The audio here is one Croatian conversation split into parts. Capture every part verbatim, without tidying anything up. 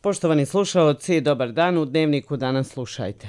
Poštovani slušaoci, dobar dan, u Dnevniku danas slušajte.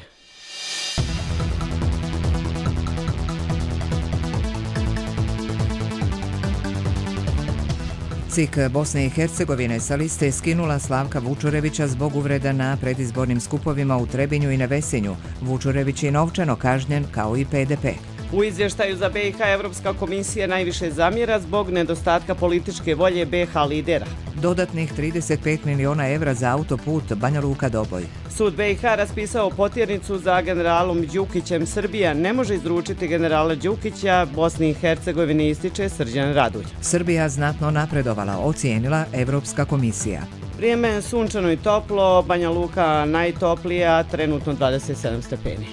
C I K Bosne i Hercegovine sa liste skinula Slavka Vučurevića zbog uvreda na predizbornim skupovima u Trebinju i Nevesinju. Vučurević je novčano kažnjen kao i P D P. U izvještaju za B i H Evropska komisija najviše zamjera zbog nedostatka političke volje B i H lidera. Dodatnih trideset pet miliona evra za autoput Banja Luka-Doboj. Sud B i H raspisao potjernicu za generalom Đukićem. Srbija ne može izručiti generala Đukića, Bosni i Hercegovini ističe Srđan Radulj. Srbija znatno napredovala, ocijenila Evropska komisija. Vrijeme je sunčano i toplo, Banja Luka najtoplija, trenutno dvadeset sedam stepeni.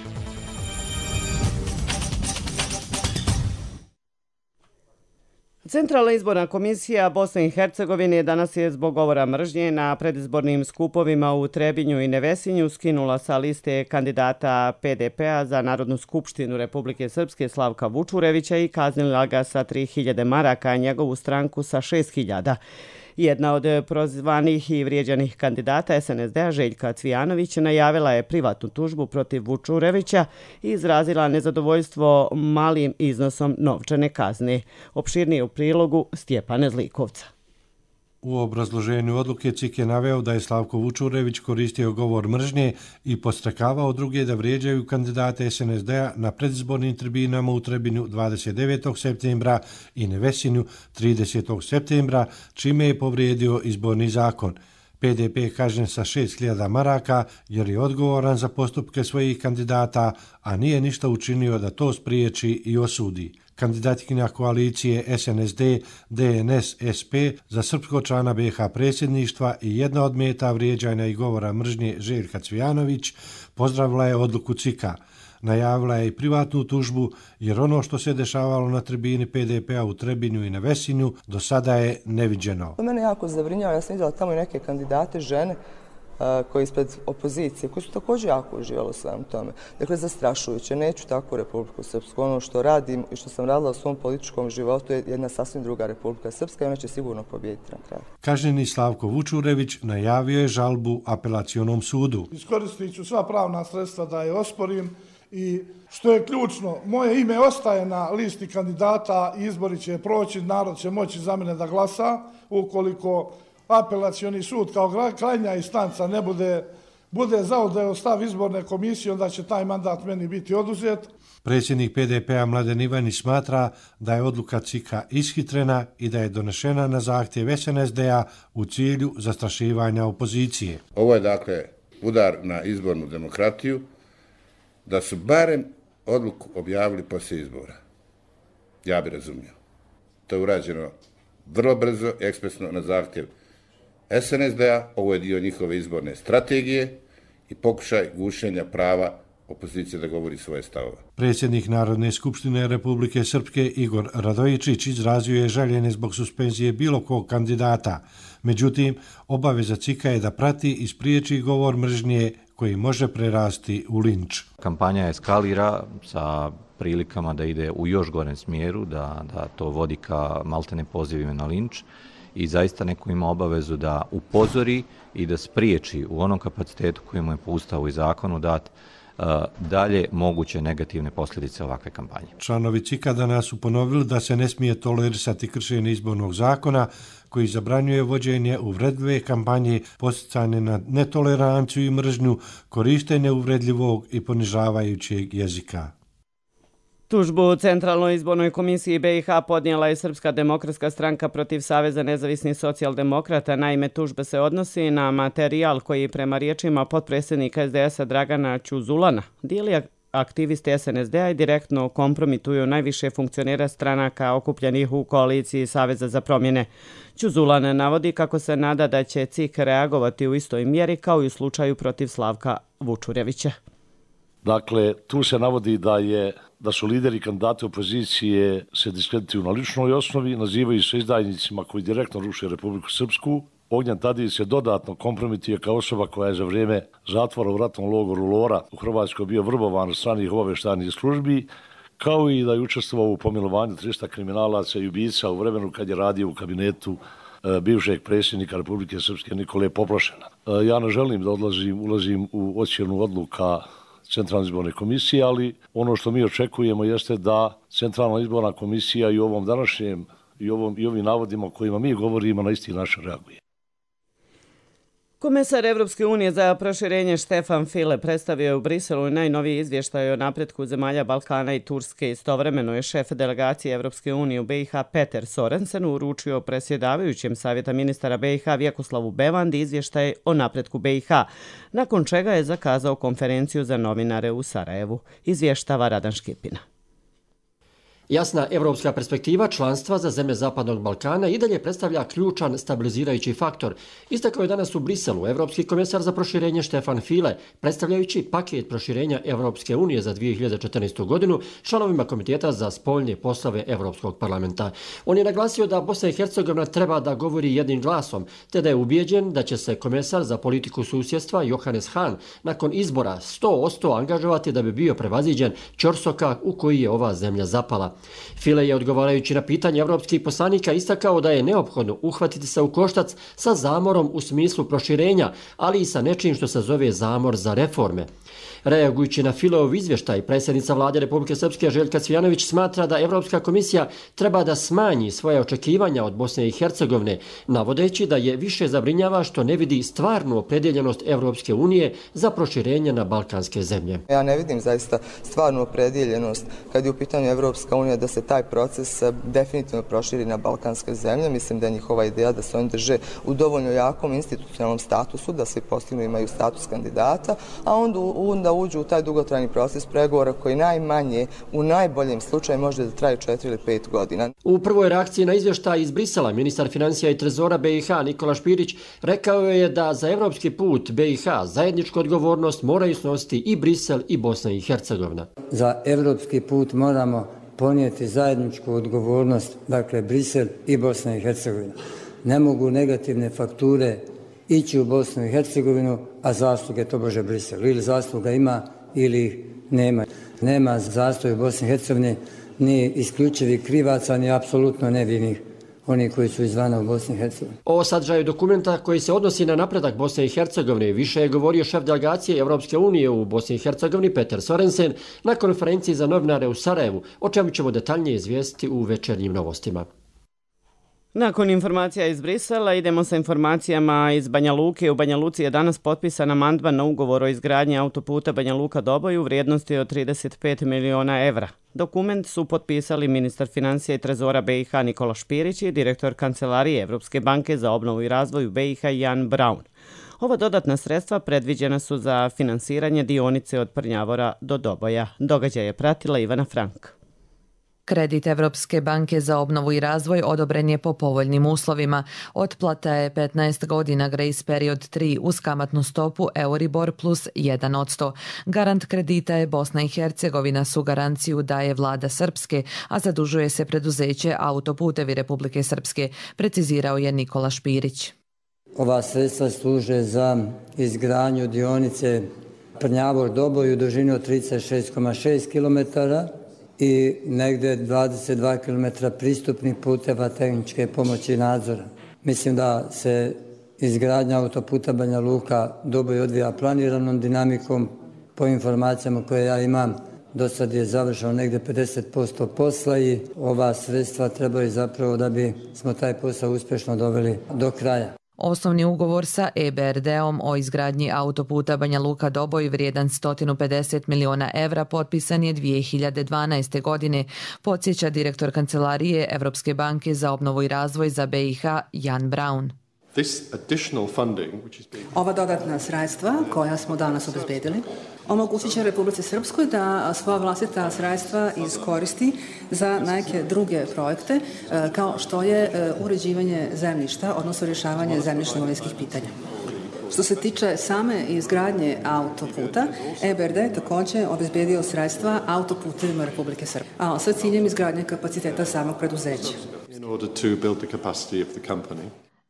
Centralna izborna komisija Bosne i Hercegovine danas je zbog govora mržnje na predizbornim skupovima u Trebinju i Nevesinju skinula sa liste kandidata P D P-a za Narodnu skupštinu Republike Srpske Slavka Vučurevića i kaznila ga sa tri hiljade maraka, a njegovu stranku sa šest hiljada. Jedna od prozvanih i vrijeđanih kandidata S N S D-a Željka Cvijanović najavila je privatnu tužbu protiv Vučurevića i izrazila nezadovoljstvo malim iznosom novčane kazne. Opširnije u prilogu Stjepana Zlikovca. U obrazloženju odluke C I K je naveo da je Slavko Vučurević koristio govor mržnje i podstrekavao druge da vrijeđaju kandidate S N S D-a na predizbornim tribinama u Trebinju dvadeset devetog septembra i Nevesinju tridesetog septembra, čime je povrijedio izborni zakon. P D P je kažnjen sa šest hiljada maraka jer je odgovoran za postupke svojih kandidata, a nije ništa učinio da to spriječi i osudi. Kandidatkinja koalicije S N S D, D N S, S P za srpskog člana B i H predsjedništva i jedna od meta vrijeđanja i govora mržnje Željka Cvijanović pozdravila je odluku C I K-a. Najavila je i privatnu tužbu jer ono što se dešavalo na tribini P D P-a u Trebinju i Nevesinju do sada je neviđeno. To mene jako zabrinjava, ja sam vidjela tamo i neke kandidate žene koji ispred opozicije, koji su također jako uživali u svemu tome. Dakle, zastrašujuće. Neću tako Republiku Srpsku. Ono što radim i što sam radila u svom političkom životu je jedna sasvim druga Republika Srpska i ona će sigurno pobijediti na kraju. Kažnjeni Slavko Vučurević najavio je žalbu apelacionom sudu. Iskoristit ću sva pravna sredstva da je osporim i što je ključno, moje ime ostaje na listi kandidata i izbori će proći, narod će moći za mene da glasa ukoliko apelacioni sud kao krajnja instanca ne bude, bude zauzeo stav izborne komisije, onda će taj mandat meni biti oduzet. Predsjednik P D P-a Mladen Ivanić smatra da je odluka C I K-a ishitrena i da je donešena na zahtjev S N S D-a u cilju zastrašivanja opozicije. Ovo je dakle udar na izbornu demokratiju, da su barem odluku objavili poslije izbora. Ja bi razumio. To je urađeno vrlo brzo i ekspresno na zahtjev S N S D-a, ovo je dio njihove izborne strategije i pokušaj gušenja prava opozicije da govori svoje stavove. Predsjednik Narodne skupštine Republike Srpske Igor Radojičić izrazio je žaljenje zbog suspenzije bilo kog kandidata. Međutim, obaveza C I K-a je da prati i spriječi govor mržnje koji može prerasti u linč. Kampanja eskalira sa prilikama da ide u još gorem smjeru, da, da to vodi ka maltene pozivima na linč. I zaista neko ima obavezu da upozori i da spriječi u onom kapacitetu koji mu je po Ustavu i zakonu dat dalje moguće negativne posljedice ovakve kampanje. Članovi C I K-a danas su ponovili da se ne smije tolerisati kršenje izbornog zakona koji zabranjuje vođenje uvredljive kampanje, podsticanje na netoleranciju i mržnju, korištenje uvredljivog i ponižavajućeg jezika. Tužbu Centralnoj izbornoj komisiji B i H podnijela je Srpska demokratska stranka protiv Saveza nezavisnih socijaldemokrata. Naime, tužba se odnosi na materijal koji prema riječima potpredsjednika S D S-a Dragana Ćuzulana dijeli aktivisti S N S D-a i direktno kompromituju najviše funkcionera stranaka okupljenih u koaliciji Saveza za promjene. Ćuzulan navodi kako se nada da će C I K reagovati u istoj mjeri kao i u slučaju protiv Slavka Vučurevića. Dakle, tu se navodi da je da su lideri kandidati opozicije se diskredituju na ličnoj osnovi, nazivaju se izdajnicima koji direktno ruše Republiku Srpsku. Ognjen Tadić se dodatno kompromituje kao osoba koja je za vrijeme zatvora u ratnom logoru Lora u Hrvatskoj bio vrbovan od stranih obavještajnih službi, kao i da je učestvovao u pomilovanju trista kriminalaca i ubica u vremenu kad je radio u kabinetu bivšeg predsjednika Republike Srpske Nikole Poplošena. Ja ne želim da odlazim, ulazim u ocjenu odluka Centralne izborne komisije, ali ono što mi očekujemo jeste da Centralna izborna komisija i u ovom današnjem i, ovom, i ovim navodima kojima mi govorimo na isti način reaguje. Komesar Evropske unije za proširenje Štefan File predstavio je u Briselu najnoviji izvještaj o napretku zemalja Balkana i Turske. Istovremeno je šef delegacije Evropske unije u B i H Peter Sorensen uručio predsjedavajućem Savjeta ministara B i H Vjekoslavu Bevandi izvještaj o napretku B i H, nakon čega je zakazao konferenciju za novinare u Sarajevu. Izvještava Radan Škipina. Jasna evropska perspektiva članstva za zemlje Zapadnog Balkana i dalje predstavlja ključan stabilizirajući faktor. Istakao je danas u Briselu evropski komesar za proširenje Štefan File, predstavljajući paket proširenja Evropske unije za dvije hiljade četrnaestu. godinu članovima Komiteta za spoljne poslove Evropskog parlamenta. On je naglasio da Bosna i Hercegovina treba da govori jednim glasom, te da je ubijeđen da će se komesar za politiku susjedstva Johannes Hahn nakon izbora sto posto angažovati da bi bio prevaziđen ćorsokak u koji je ova zemlja zapala. File je odgovarajući na pitanje evropskih poslanika istakao da je neophodno uhvatiti se u koštac sa zamorom u smislu proširenja, ali i sa nečim što se zove zamor za reforme. Reagujući na Fileov izvještaj, predsjednica vlade Republike Srpske Željka Cvijanović smatra da Evropska komisija treba da smanji svoje očekivanja od Bosne i Hercegovine, navodeći da je više zabrinjava što ne vidi stvarnu opredjeljenost Evropske unije za proširenje na balkanske zemlje. Ja ne vidim zaista stvarnu opredjeljenost kad je u pitanju Evropska unija da se taj proces definitivno proširi na balkanske zemlje. Mislim da je njihova ideja da se oni drže u dovoljno jakom institucionalnom statusu, da svi postignu imaju status kandidata, a onda, onda uđu u taj dugotrajni proces pregovora koji najmanje, u najboljem slučaju, može da traje četiri ili pet godina. U prvoj reakciji na izvještaj iz Brisela, ministar financija i trezora B i H Nikola Špirić rekao je da za evropski put B i H zajedničku odgovornost moraju snositi i Brisel i Bosna i Hercegovina. Za evropski put moramo ponijeti zajedničku odgovornost, dakle Brisel i Bosna i Hercegovina. Ne mogu negativne fakture ići u Bosnu i Hercegovinu, a zasluge to bože Brisel. Ili zasluga ima ili nema. Nema zastoja u Bosni i Hercegovini ni isključivih krivaca, ni apsolutno nevinih, oni koji su izvana u Bosni i Hercegovini. O sadržaju dokumenta koji se odnosi na napredak Bosne i Hercegovine više je govorio šef delegacije Evropske unije u Bosni i Hercegovini Peter Sorensen na konferenciji za novinare u Sarajevu, o čemu ćemo detaljnije izvijestiti u večernjim novostima. Nakon informacija iz Brisela idemo sa informacijama iz Banja Luke. U Banja Luci je danas potpisan amandman na ugovor o izgradnji autoputa Banja Luka-Doboj u vrijednosti od trideset pet miliona evra. Dokument su potpisali ministar financija i trezora B i H Nikola Špirić i direktor Kancelarije Evropske banke za obnovu i razvoj u B i H Jan Braun. Ova dodatna sredstva predviđena su za finansiranje dionice od Prnjavora do Doboja. Događaj je pratila Ivana Frank. Kredit Evropske banke za obnovu i razvoj odobren je po povoljnim uslovima. Otplata je petnaest godina, grace period tri uz kamatnu stopu Euribor plus jedan posto. Garant kredita je Bosna i Hercegovina, su garanciju daje vlada Srpske, a zadužuje se preduzeće Autoputevi Republike Srpske, precizirao je Nikola Špirić. Ova sredstva služe za izgradnju dionice Prnjavor-Doboj u dužini od trideset šest zarez šest kilometara i negde dvadeset dva kilometra pristupnih puteva tehničke pomoći i nadzora. Mislim da se izgradnja autoputa Banja Luka-Doboj odvija planiranom dinamikom. Po informacijama koje ja imam, do sad je završeno negde pedeset posto posla i ova sredstva trebaju zapravo da bi smo taj posao uspješno doveli do kraja. Osnovni ugovor sa E B R D-om o izgradnji autoputa Banja Luka-Doboj vrijedan sto pedeset miliona evra potpisan je dvije hiljade dvanaeste. godine, podsjeća direktor Kancelarije Evropske banke za obnovu i razvoj za B i H Jan Braun. Ova dodatna sredstva koja smo danas obezbedili omogućit će Republici Srpskoj da svoja vlastita sredstva iskoristi za neke druge projekte kao što je uređivanje zemljišta, odnosno rješavanje zemljišno-imovinskih pitanja. Što se tiče same izgradnje autoputa, E B R D je također obezbedio sredstva autoputevima Republike Srpske, a sa ciljem izgradnje kapaciteta samog preduzeća.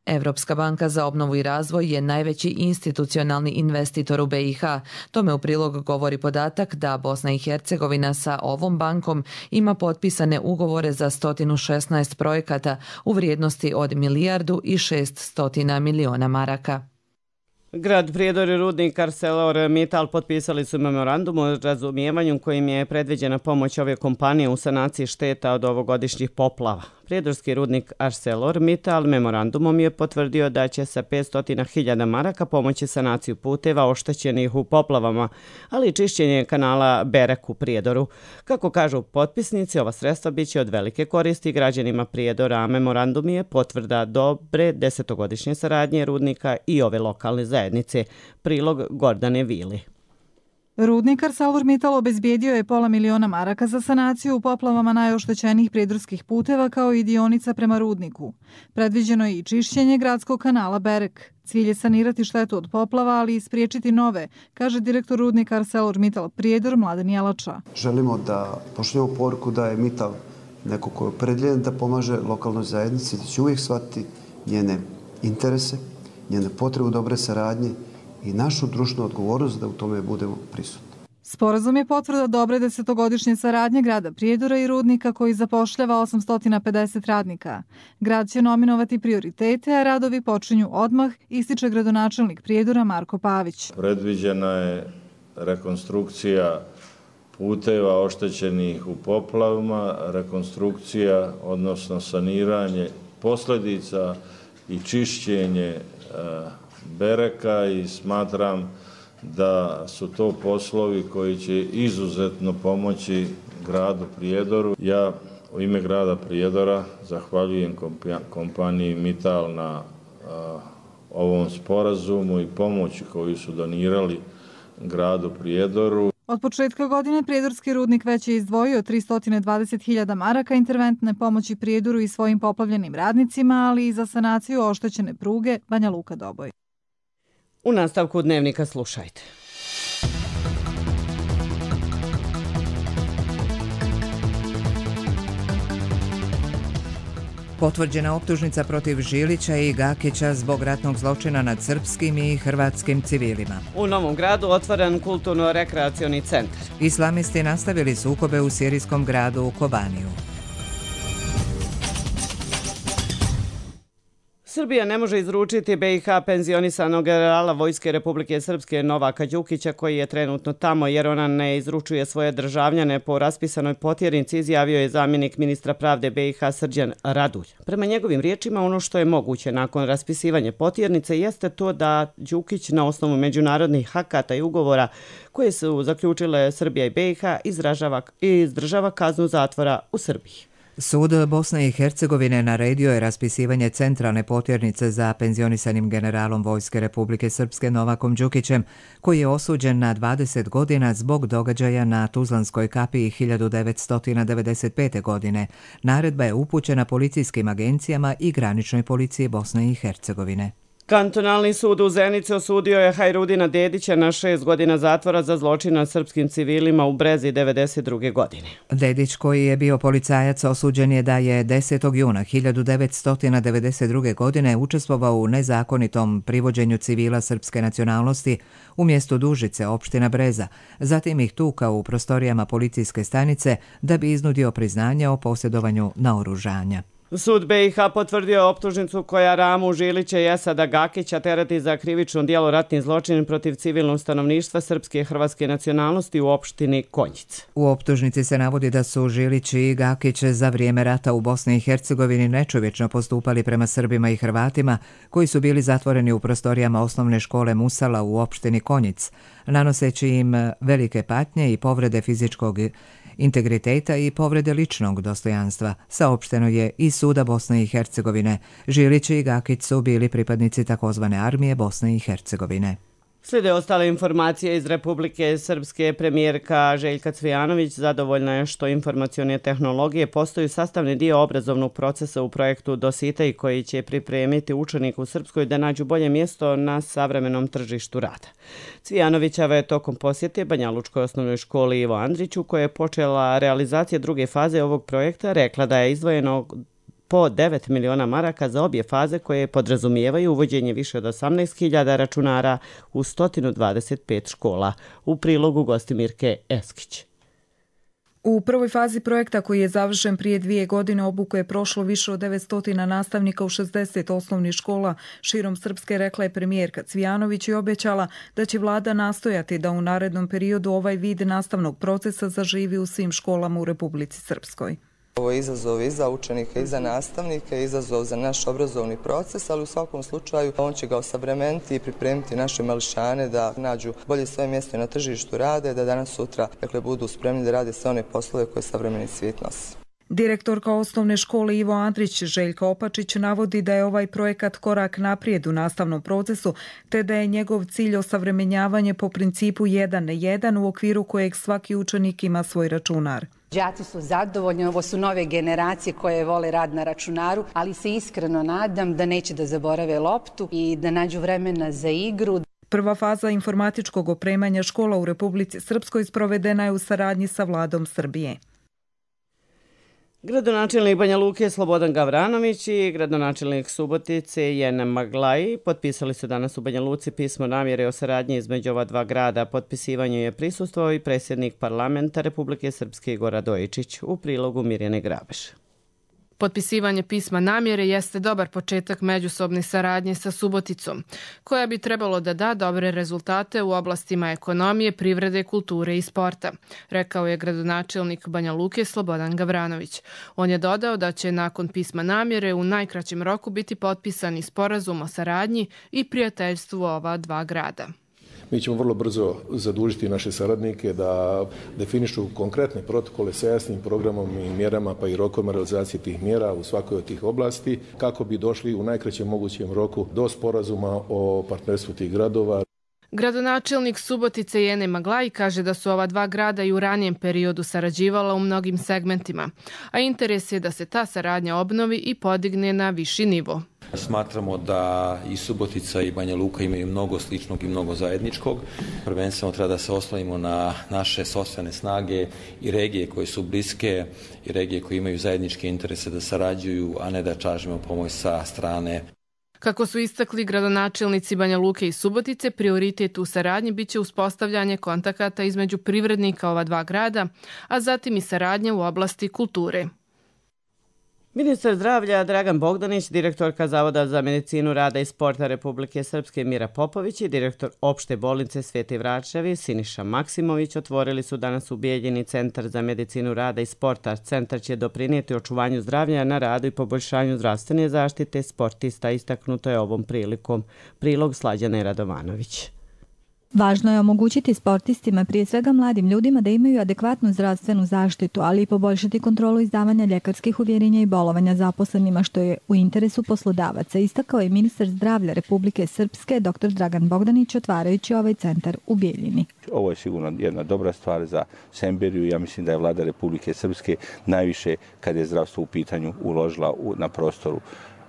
Evropska banka za obnovu i razvoj je najveći institucionalni investitor u B i H. Tome u prilog govori podatak da Bosna i Hercegovina sa ovom bankom ima potpisane ugovore za sto šesnaest projekata u vrijednosti od milijardu i šest stotina miliona maraka. Grad Prijedor i rudnik ArcelorMittal potpisali su memorandum o razumijevanju kojim je predviđena pomoć ove kompanije u sanaciji šteta od ovogodišnjih poplava. Prijedorski rudnik ArcelorMittal memorandumom je potvrdio da će sa petsto hiljada maraka pomoći sanaciju puteva oštećenih u poplavama, ali i čišćenje kanala Berek u Prijedoru. Kako kažu potpisnici, ova sredstva biće od velike koristi građanima Prijedora, a memorandum je potvrda dobre desetogodišnje saradnje rudnika i ove lokalne zajednice. Prilog Gordane Vili. Rudnik ArcelorMittal obezbijedio je pola miliona maraka za sanaciju u poplavama najoštećenijih prijedorskih puteva kao i dionica prema rudniku. Predviđeno je i čišćenje gradskog kanala Berek. Cilj je sanirati štetu od poplava, ali i spriječiti nove, kaže direktor rudnika ArcelorMittal Prijedor Mladen Jelača. Želimo da pošaljemo poruku da je Mittal neko ko je opredjeljen da pomaže lokalnoj zajednici, da će uvijek shvatiti njene interese, njene potrebe dobre saradnje i našu društvenu odgovornost da u tome budemo prisutni. Sporazum je potvrda dobre desetogodišnje saradnje grada Prijedora i rudnika koji zapošljava osamsto pedeset radnika. Grad će nominovati prioritete, a radovi počinju odmah, ističe gradonačelnik Prijedora Marko Pavić. Predviđena je rekonstrukcija puteva oštećenih u poplavama, rekonstrukcija, odnosno saniranje posljedica i čišćenje Bereka i smatram da su to poslovi koji će izuzetno pomoći gradu Prijedoru. Ja u ime grada Prijedora zahvaljujem kompaniji Mittal na a, ovom sporazumu i pomoći koju su donirali gradu Prijedoru. Od početka godine Prijedorski rudnik već je izdvojio tristo dvadeset hiljada maraka interventne pomoći Prijedoru i svojim poplavljenim radnicima, ali i za sanaciju oštećene pruge Banja Luka-Doboj. U nastavku dnevnika slušajte. Potvrđena optužnica protiv Žilića i Gakića zbog ratnog zločina nad srpskim i hrvatskim civilima. U Novom Gradu otvoren kulturno-rekreacioni centar. Islamisti nastavili sukobe u sirijskom gradu Kobaniju. Srbija ne može izručiti B i H penzionisanog generala Vojske Republike Srpske Novaka Đukića, koji je trenutno tamo jer ona ne izručuje svoje državljane po raspisanoj potjernici, izjavio je zamjenik ministra pravde B i H Srđan Radulj. Prema njegovim riječima, ono što je moguće nakon raspisivanja potjernice jeste to da Đukić na osnovu međunarodnih akata i ugovora koje su zaključile Srbija i B i H izražava, izdržava kaznu zatvora u Srbiji. Sud Bosne i Hercegovine naredio je raspisivanje centralne potjernice za penzionisanim generalom Vojske Republike Srpske Novakom Đukićem, koji je osuđen na dvadeset godina zbog događaja na Tuzlanskoj kapiji hiljadu devetsto devedeset pete. godine. Naredba je upućena policijskim agencijama i graničnoj policiji Bosne i Hercegovine. Kantonalni sud u Zenici osudio je Hajrudina Dedića na šest godina zatvora za zločin nad srpskim civilima u Brezi devedeset druge. godine. Dedić, koji je bio policajac, osuđen je da je desetog juna hiljadu devetsto devedeset druge. godine učestvovao u nezakonitom privođenju civila srpske nacionalnosti u mjestu Dužice, opština Breza, zatim ih tukao u prostorijama policijske stanice da bi iznudio priznanje o posjedovanju naoružanja. Sud B i H potvrdio je optužnicu koja Ramu Žilića i Esada Gakića tereti za krivično djelo ratni zločin protiv civilnog stanovništva srpske i hrvatske nacionalnosti u opštini Konjic. U optužnici se navodi da su Žilić i Gakić za vrijeme rata u Bosni i Hercegovini nečovječno postupali prema Srbima i Hrvatima koji su bili zatvoreni u prostorijama osnovne škole Musala u opštini Konjic, nanoseći im velike patnje i povrede fizičkog integriteta i povrede ličnog dostojanstva, saopšteno je iz Suda Bosne i Hercegovine. Žilić i Gakić su bili pripadnici takozvane armije Bosne i Hercegovine. Slijede ostale informacije iz Republike Srpske. Premijerka Željka Cvijanović zadovoljna je što informacione tehnologije postaju sastavni dio obrazovnog procesa u projektu Dositej, koji će pripremiti učenike u Srpskoj da nađu bolje mjesto na savremenom tržištu rada. Cvijanovićava je tokom posjete Banjalučkoj osnovnoj školi Ivo Andriću, koja je počela realizacija druge faze ovog projekta, rekla da je izdvojeno po devet miliona maraka za obje faze koje podrazumijevaju uvođenje više od osamnaest hiljada računara u sto dvadeset pet škola. U prilogu Gostimirke Eskić. U prvoj fazi projekta koji je završen prije dvije godine obuku je prošlo više od devetsto nastavnika u šezdeset osnovnih škola širom Srpske, rekla je premijerka Cvijanović i obećala da će vlada nastojati da u narednom periodu ovaj vid nastavnog procesa zaživi u svim školama u Republici Srpskoj. Ovo je izazov i za učenike i za nastavnike, izazov za naš obrazovni proces, ali u svakom slučaju on će ga osavremeniti i pripremiti naše mališane da nađu bolje svoje mjesto na tržištu rade, da danas sutra dakle, budu spremni da rade sve one poslove koje savremeni svijet nosi. Direktorka osnovne škole Ivo Andrić Željka Opačić navodi da je ovaj projekat korak naprijed u nastavnom procesu, te da je njegov cilj osavremenjavanje po principu jedan na jedan u okviru kojeg svaki učenik ima svoj računar. Đaci su zadovoljni, ovo su nove generacije koje vole rad na računaru, ali se iskreno nadam da neće da zaborave loptu i da nađu vremena za igru. Prva faza informatičkog opremanja škola u Republici Srpskoj sprovedena je u saradnji sa vladom Srbije. Gradonačelnik Banja Luke Slobodan Gavranović i gradonačelnik Subotice Jen Maglaji potpisali su danas u Banja Luci pismo namjere o saradnji između ova dva grada. Potpisivanju je prisustvovao i predsjednik parlamenta Republike Srpske Igor Radojičić, u prilogu Mirjane Grabeš. Potpisivanje pisma namjere jeste dobar početak međusobne saradnje sa Suboticom, koja bi trebalo da da dobre rezultate u oblastima ekonomije, privrede, kulture i sporta, rekao je gradonačelnik Banja Luke Slobodan Gavranović. On je dodao da će nakon pisma namjere u najkraćem roku biti potpisani sporazum o saradnji i prijateljstvu ova dva grada. Mi ćemo vrlo brzo zadužiti naše saradnike da definišu konkretne protokole sa jasnim programom i mjerama pa i rokovima realizacije tih mjera u svakoj od tih oblasti kako bi došli u najkraćem mogućem roku do sporazuma o partnerstvu tih gradova. Gradonačelnik Subotice Jene Maglaj kaže da su ova dva grada i u ranijem periodu sarađivala u mnogim segmentima, a interes je da se ta saradnja obnovi i podigne na viši nivo. Smatramo da i Subotica i Banja Luka imaju mnogo sličnog i mnogo zajedničkog. Prvenstveno treba da se oslonimo na naše sopstvene snage i regije koje su bliske i regije koje imaju zajedničke interese da sarađuju, a ne da tražimo pomoć sa strane. Kako su istakli gradonačelnici Banja Luke i Subotice, prioritet u saradnji biće uspostavljanje kontakata između privrednika ova dva grada, a zatim i saradnja u oblasti kulture. Ministar zdravlja Dragan Bogdanić, direktorka Zavoda za medicinu rada i sporta Republike Srpske Mira Popović i direktor opšte bolnice Sveti Vračevi Siniša Maksimović otvorili su danas u Bijeljini Centar za medicinu rada i sporta. Centar će doprinijeti očuvanju zdravlja na radu i poboljšanju zdravstvene zaštite sportista, istaknuto je ovom prilikom. Prilog Slađane Radovanović. Važno je omogućiti sportistima, prije svega mladim ljudima, da imaju adekvatnu zdravstvenu zaštitu, ali i poboljšati kontrolu izdavanja ljekarskih uvjerenja i bolovanja zaposlenima, što je u interesu poslodavaca, istakao je ministar zdravlja Republike Srpske dr Dragan Bogdanić otvarajući ovaj centar u Bijeljini. Ovo je sigurno jedna dobra stvar za Semberiju. Ja mislim da je vlada Republike Srpske najviše, kad je zdravstvo u pitanju, uložila na prostoru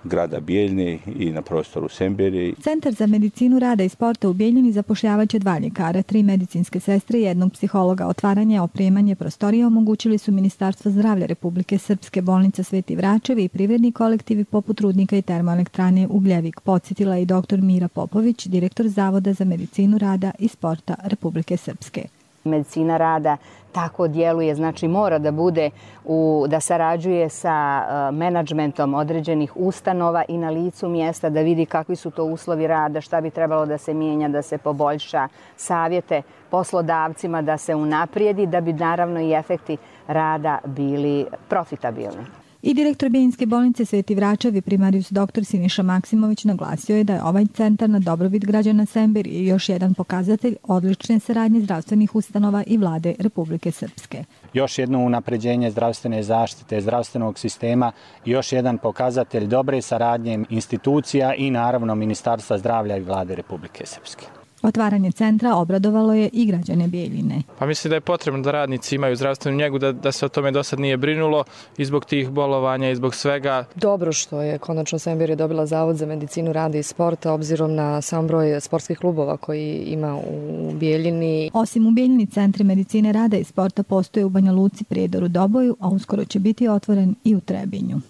grada Bijeljine i na prostoru Semberije. Centar za medicinu rada i sporta u Bijeljini zapošljavaće dva ljekara, tri medicinske sestre i jednog psihologa. Otvaranje, opremanje prostorije omogućili su Ministarstvo zdravlja Republike Srpske, bolnica Sveti Vračevi i privredni kolektivi poput Rudnika i termoelektrane Ugljevik, podsjetila i dr Mira Popović, direktor Zavoda za medicinu rada i sporta Republike Srpske. Medicina rada tako djeluje, znači mora da bude u, da sarađuje sa uh, menadžmentom određenih ustanova i na licu mjesta da vidi kakvi su to uslovi rada, šta bi trebalo da se mijenja, da se poboljša, savjete poslodavcima da se unaprijedi, da bi naravno i efekti rada bili profitabilni. I direktor Bijeljinske bolnice Sveti Vračevi primarijus dr Siniša Maksimović naglasio je da je ovaj centar na dobrobit građana Semberije još jedan pokazatelj odlične saradnje zdravstvenih ustanova i vlade Republike Srpske. Još jedno unapređenje zdravstvene zaštite, zdravstvenog sistema, još jedan pokazatelj dobre saradnje institucija i naravno Ministarstva zdravlja i vlade Republike Srpske. Otvaranje centra obradovalo je i građane Bijeljine. Pa mislim da je potrebno da radnici imaju zdravstvenu njegu, da, da se o tome do sad nije brinulo i zbog tih bolovanja i zbog svega. Dobro što je konačno Semberija dobila Zavod za medicinu rada i sporta obzirom na sam broj sportskih klubova koji ima u Bijeljini. Osim u Bijeljini, centri medicine rada i sporta postoje u Banja Luci, Prijedoru, Doboju, a uskoro će biti otvoren i u Trebinju.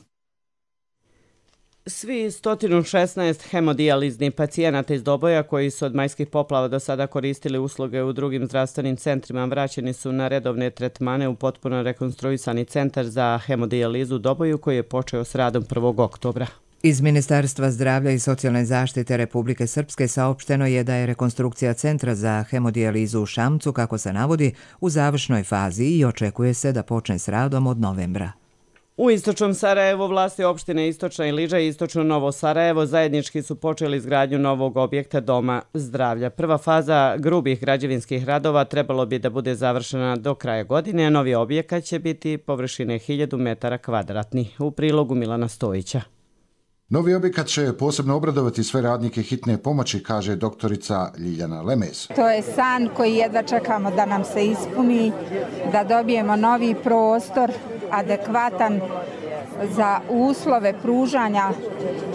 Svi sto šesnaest hemodijaliznih pacijenata iz Doboja koji su od majskih poplava do sada koristili usluge u drugim zdravstvenim centrima vraćeni su na redovne tretmane u potpuno rekonstruisani centar za hemodijalizu u Doboju koji je počeo s radom prvog oktobra. Iz Ministarstva zdravlja i socijalne zaštite Republike Srpske saopšteno je da je rekonstrukcija centra za hemodijalizu u Šamcu, kako se navodi, u završnoj fazi i očekuje se da počne s radom od novembra. U istočnom Sarajevu vlasti opštine Istočna Iliđa i Istočno Novo Sarajevo zajednički su počeli izgradnju novog objekta Doma zdravlja. Prva faza grubih građevinskih radova trebalo bi da bude završena do kraja godine, a novi objekat će biti površine hiljadu metara kvadratnih. U prilogu Milana Stojića. Novi objekat će posebno obradovati sve radnike hitne pomoći, kaže doktorica Ljiljana Lemez. To je san koji jedva čekamo da nam se ispuni, da dobijemo novi prostor, adekvatan za uslove pružanja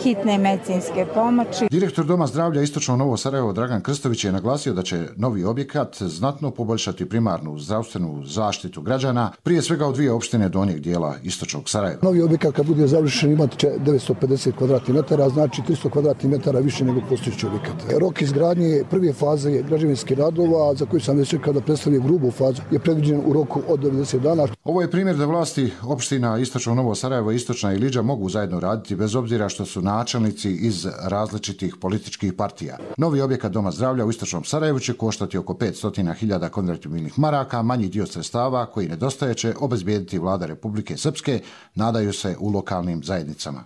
hitne medicinske pomoći. Direktor Doma zdravlja Istočno Novo Sarajevo Dragan Krstović je naglasio da će novi objekat znatno poboljšati primarnu zdravstvenu zaštitu građana, prije svega u dvije opštine donjeg dijela Istočnog Sarajeva. Novi objekat kad bude završen imati će devetsto pedeset kvadratnih metara, znači tristo kvadratnih metara više nego postojeći objekat. Rok izgradnje prve faze građevinskih radova, za koju sam već rekao da predstavlja grubu fazu, je predviđen u roku od devedeset dana. Ovo je primjer da vlasti opština Istočno Novo Sarajevo i Istočna Iliđa mogu zajedno raditi bez obzira što su načelnici iz različitih političkih partija. Novi objekat Doma zdravlja u Istočnom Sarajevu će koštati oko petsto hiljada konvertibilnih maraka, manji dio sredstava koji nedostaje će obezbijediti vlada Republike Srpske, nadaju se u lokalnim zajednicama.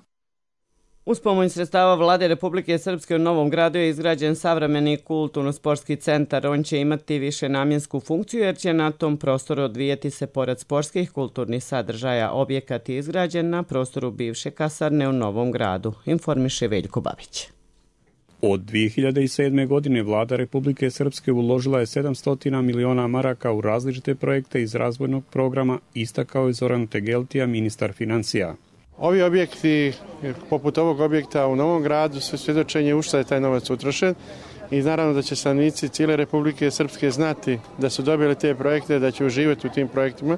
Uz pomoć sredstava vlade Republike Srpske u Novom Gradu je izgrađen savremeni kulturno-sportski centar. On će imati više namjensku funkciju jer će na tom prostoru odvijeti se pored sportskih kulturnih sadržaja. Objekat je izgrađen na prostoru bivše kasarne u Novom Gradu, informiše Veljko Babić. Od dvije hiljade sedme. godine vlada Republike Srpske uložila je sedamsto miliona maraka u različite projekte iz razvojnog programa, istakao je Zoran Tegeltija, ministar financija. Ovi objekti, poput ovog objekta u Novom Gradu, su svjedočenje u šta je taj novac utrošen i naravno da će stanovnici cijele Republike Srpske znati da su dobili te projekte, da će uživati u tim projektima,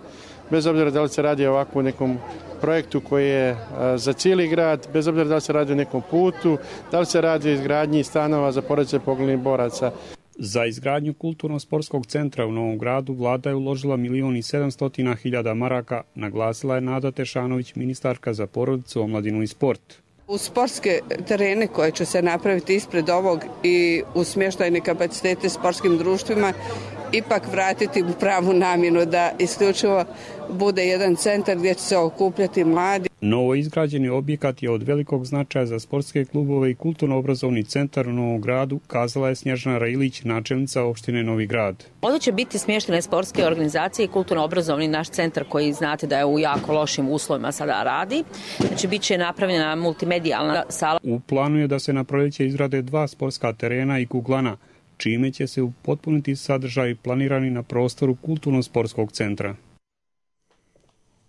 bez obzira da li se radi o ovakvom nekom projektu koji je za cijeli grad, bez obzira da li se radi o nekom putu, da li se radi o izgradnji stanova za porodice poginulih boraca. Za izgradnju kulturno-sportskog centra u Novom Gradu vlada je uložila milion i sedamsto hiljada maraka, naglasila je Nada Tešanović, ministarka za porodicu, omladinu i sport. U sportske terene koje će se napraviti ispred ovog i u smještajne kapacitete sportskim društvima ipak vratiti u pravu namjenu, da isključivo bude jedan centar gdje će se okupljati mladi. Novo izgrađeni objekat je od velikog značaja za sportske klubove i kulturno-obrazovni centar u Novom Gradu, kazala je Snježana Railić, načelnica opštine Novi Grad. Ovdje će biti smještene sportske organizacije i kulturno-obrazovni naš centar koji znate da je u jako lošim uslovima sada radi. Znači, bit će napravljena multimedijalna sala. U planu je da se na proljeće izrade dva sportska terena i kuglana, čime će se upotpuniti sadržaj planirani na prostoru kulturno-sportskog centra.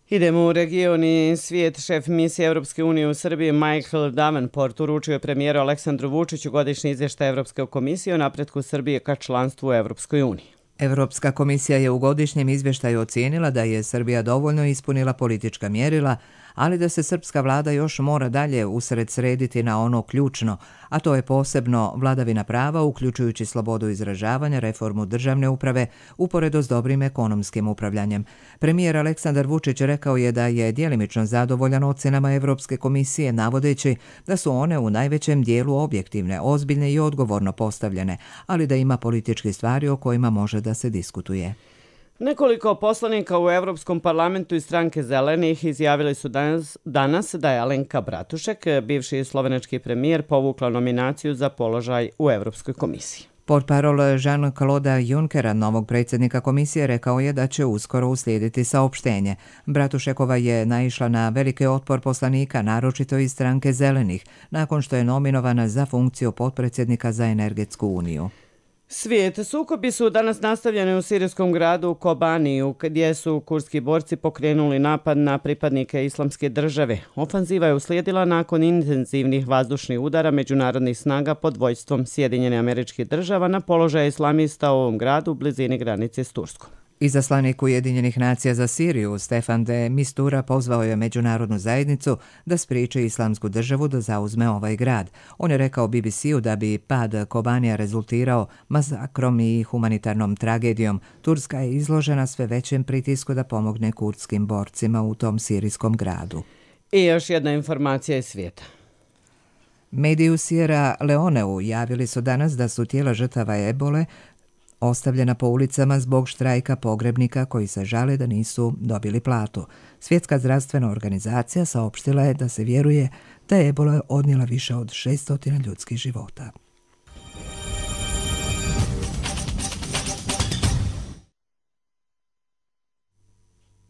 Idemo u region i svijet. Šef misije Europske unije u Srbiji Michael Davenport uručio je premijeru Aleksandru Vučiću godišnji izvještaj Europske komisije o napretku Srbije ka članstvu u Europskoj uniji. Europska komisija je u godišnjem izvještaju ocijenila da je Srbija dovoljno ispunila politička mjerila, ali da se srpska vlada još mora dalje usred srediti na ono ključno, a to je posebno vladavina prava, uključujući slobodu izražavanja, reformu državne uprave, uporedo s dobrim ekonomskim upravljanjem. Premijer Aleksandar Vučić rekao je da je djelimično zadovoljan ocjenama Europske komisije, navodeći da su one u najvećem dijelu objektivne, ozbiljne i odgovorno postavljene, ali da ima političkih stvari o kojima može da se diskutuje. Nekoliko poslanika u Europskom parlamentu iz stranke Zelenih izjavili su danas, danas da je Alenka Bratušek, bivši slovenački premijer, povukla nominaciju za položaj u Europskoj komisiji. Portparol Jean-Claude Junckera, novog predsjednika komisije, rekao je da će uskoro uslijediti saopštenje. Bratušekova je naišla na veliki otpor poslanika, naročito iz stranke Zelenih, nakon što je nominovana za funkciju potpredsjednika za energetsku uniju. Svijet. Sukobi su danas nastavljeni u sirijskom gradu Kobaniju, gdje su kurski borci pokrenuli napad na pripadnike Islamske države. Ofanziva je uslijedila nakon intenzivnih vazdušnih udara međunarodnih snaga pod vođstvom Sjedinjene Američke Država na položaje islamista u ovom gradu u blizini granice s Turskom. Izaslanik Ujedinjenih nacija za Siriju Stefan de Mistura pozvao je međunarodnu zajednicu da spriječi Islamsku državu da zauzme ovaj grad. On je rekao B B C-u da bi pad Kobanija rezultirao masakrom i humanitarnom tragedijom. Turska je izložena sve većem pritisku da pomogne kurdskim borcima u tom sirijskom gradu. I još jedna informacija iz svijeta. Mediji u Sierra Leoneu javili su danas da su tijela žrtava ebole ostavljena po ulicama zbog štrajka pogrebnika koji se žale da nisu dobili platu. Svjetska zdravstvena organizacija saopštila je da se vjeruje da je ebola odnijela više od šesnaest ljudskih života.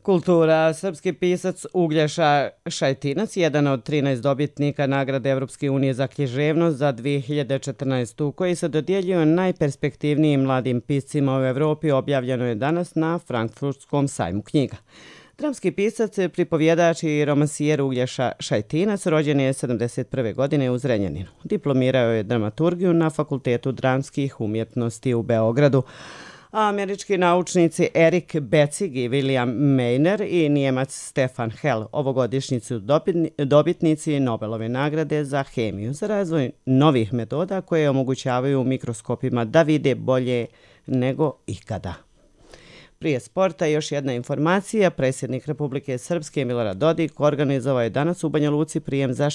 Kultura. Srpski pisac Uglješa Šajtinac, jedan od trinaest dobitnika nagrade Evropske unije za književnost za dvije hiljade četrnaestu. koji se dodjeljuje najperspektivnijim mladim piscima u Evropi, objavljeno je danas na Frankfurtskom sajmu knjiga. Dramski pisac, pripovjedač i romansijer Uglješa Šajtinac rođen je sedamdeset prve godine u Zrenjaninu. Diplomirao je dramaturgiju na Fakultetu dramskih umjetnosti u Beogradu. A američki naučnici Erik Becig i William Meiner i Nijemac Stefan Hell ovogodišnji su dobitnici Nobelove nagrade za hemiju za razvoj novih metoda koje omogućavaju mikroskopima da vide bolje nego ikada. Prije sporta još jedna informacija. Predsjednik Republike Srpske Milorad Dodik organizovao je danas u Banja Luci prijem za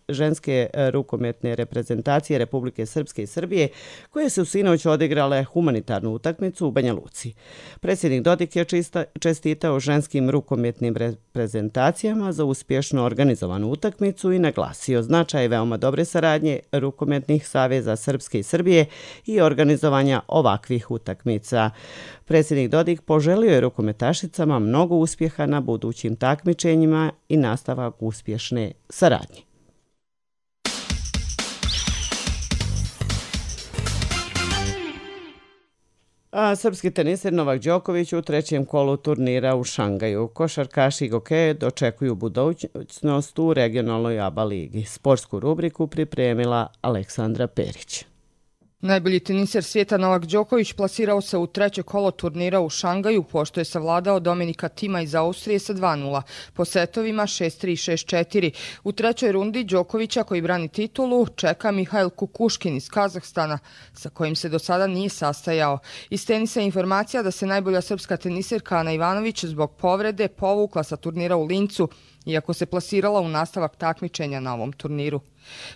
ženske rukometne reprezentacije Republike Srpske i Srbije koje su sinoć odigrale humanitarnu utakmicu u Banja Luci. Predsjednik Dodik je čestitao ženskim rukometnim reprezentacijama za uspješno organizovanu utakmicu i naglasio značaj veoma dobre saradnje rukometnih saveza Srpske i Srbije i organizovanja ovakvih utakmica. Predsjednik Dodik poželio je rukometašicama mnogo uspjeha na budućim takmičenjima i nastavak uspješne saradnje. A srpski teniser Novak Đoković u trećem kolu turnira u Šangaju. Košarkaši Goke dočekuju budućnost u regionalnoj A B A ligi. Sportsku rubriku pripremila Aleksandra Perić. Najbolji teniser svijeta Novak Đoković plasirao se u treće kolo turnira u Šangaju, pošto je savladao Dominika Tima iz Austrije sa dva nula, po setovima šest tri šest četiri. U trećoj rundi Đokovića, koji brani titulu, čeka Mihail Kukuškin iz Kazahstana, sa kojim se do sada nije sastajao. Iz tenisa je informacija da se najbolja srpska teniserka Ana Ivanović zbog povrede povukla sa turnira u Lincu, iako se plasirala u nastavak takmičenja na ovom turniru.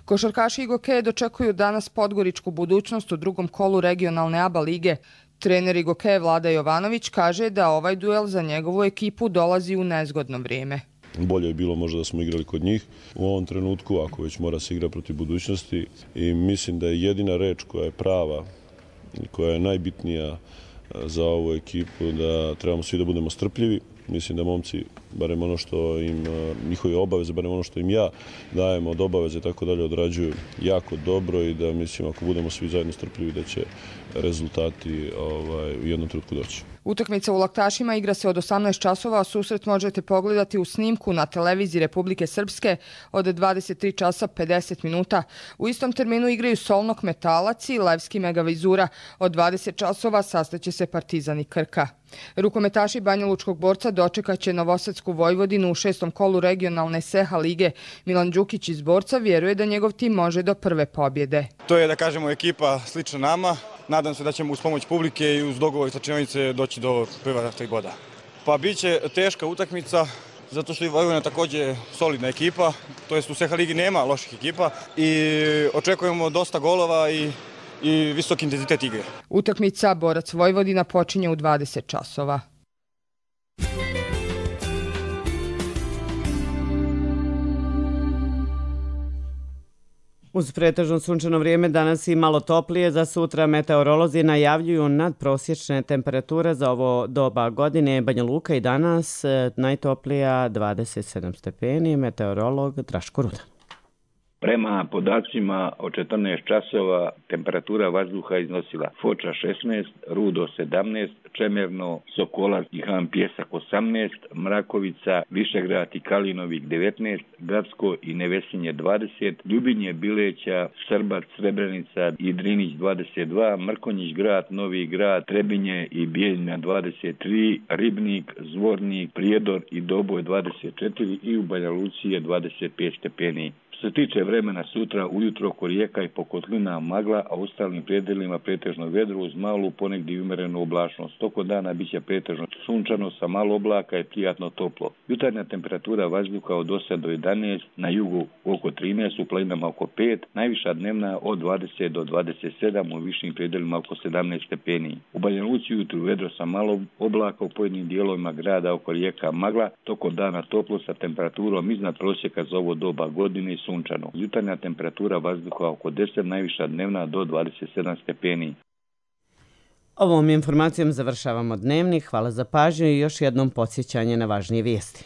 Košarkaši Igoke dočekuju danas podgoričku budućnost u drugom kolu regionalne A B A lige. Trener Igoke Vlada Jovanović kaže da ovaj duel za njegovu ekipu dolazi u nezgodno vrijeme. Bolje je bilo možda da smo igrali kod njih u ovom trenutku, ako već mora se igra protiv budućnosti. I mislim da je jedina reč koja je prava, koja je najbitnija za ovu ekipu, da trebamo svi da budemo strpljivi. Mislim da momci, barem ono što im, njihovi obaveze, barem ono što im ja dajem od obaveze, tako dalje, odrađuju jako dobro i da mislim ako budemo svi zajedno strpljivi da će rezultati ovaj, u jednom trenutku doći. Utakmica u Laktašima igra se od osamnaest časova, a susret možete pogledati u snimku na televiziji Republike Srpske od dvadeset tri časa pedeset minuta. U istom terminu igraju Solnok Metalac i Levski Megavizura. Od dvadeset časova sastaće se Partizan i Krka. Rukometaši Banjalučkog borca dočekaće Novosadsku Vojvodinu u šestom kolu regionalne S E H A lige. Milan Đukić iz Borca vjeruje da njegov tim može do prve pobjede. To je, da kažemo, ekipa slična nama. Nadam se da ćemo uz pomoć publike i uz dogovor sa čionice doći do prva tri boda. Pa bit će teška utakmica, zato što je Vojvodina također solidna ekipa, to jest u S E H A ligi nema loših ekipa i očekujemo dosta golova i i visok intenzitet igre. Utakmica Borac Vojvodina počinje u dvadeset časova. Uz pretežno sunčano vrijeme danas i malo toplije, za sutra meteorolozi najavljuju nadprosječne temperature za ovo doba godine. Banja Luka i danas najtoplija dvadeset sedam stepeni, meteorolog Draško Rudan. Prema podacima od četrnaest časova temperatura vazduha iznosila Foča šesnaest, Rudo sedamnaest, Čemerno, Sokolac i Han Pjesak osamnaest, Mrakovica, Višegrad i Kalinovik devetnaest, Gradsko i Nevesinje dvadeset, Ljubinje, Bileća, Srbac, Srebrenica i Drinić dvadeset dva, Mrkonjić Grad, Novi Grad, Trebinje i Bijeljina dvadeset tri, Ribnik, Zvornik, Prijedor i Doboj dvadeset četiri i u Banja Luci je dvadeset pet stepeni. Što se tiče vremena sutra, ujutro oko Rijeka i Pokotlina magla, a u ostalim predelima pretežno vedro uz malu ponegdje umerenu oblačnost. Toko dana biće pretežno sunčano sa malo oblaka i prijatno toplo. Jutarnja temperatura vazduha od osam do jedanaest, na jugu oko trinaest, u planinama oko pet, najviša dnevna od dvadeset do dvadeset sedam, u višim predelima oko sedamnaest stepeni. U Banja Luci ujutru vedro sa malo oblaka, u pojedinim dijelovima grada oko Rijeka magla, toko dana toplo sa temperaturom iznad prosjeka za ovo doba godine i sunčano. Jutarnja temperatura vazduha oko deset, najviša dnevna do dvadeset sedam stepeni. Ovom informacijom završavamo dnevnik. Hvala za pažnju i još jednom podsjećanje na važnije vijesti.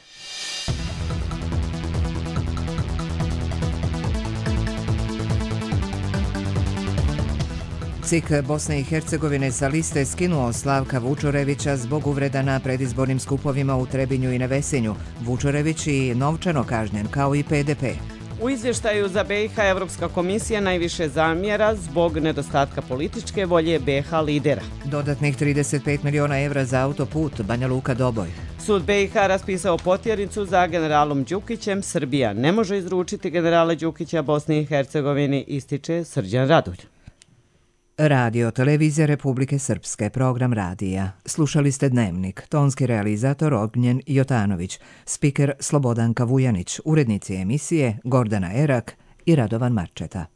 C I K Bosne i Hercegovine sa liste skinuo Slavka Vučorevića zbog uvreda na predizbornim skupovima u Trebinju i Nevesinju. Vučorević i novčano kažnjen kao i P D P. U izvještaju za B i H Evropska komisija najviše zamjera zbog nedostatka političke volje B i H lidera. Dodatnih trideset pet miliona evra za autoput Banja Luka Doboj. Sud B i H raspisao potjernicu za generalom Đukićem. Srbija ne može izručiti generala Đukića Bosni i Hercegovini, ističe Srđan Radulj. Radio Televizija Republike Srpske, program radija. Slušali ste Dnevnik, tonski realizator Ognjen Jotanović, spiker Slobodanka Vujanić, urednici emisije Gordana Erak i Radovan Marčeta.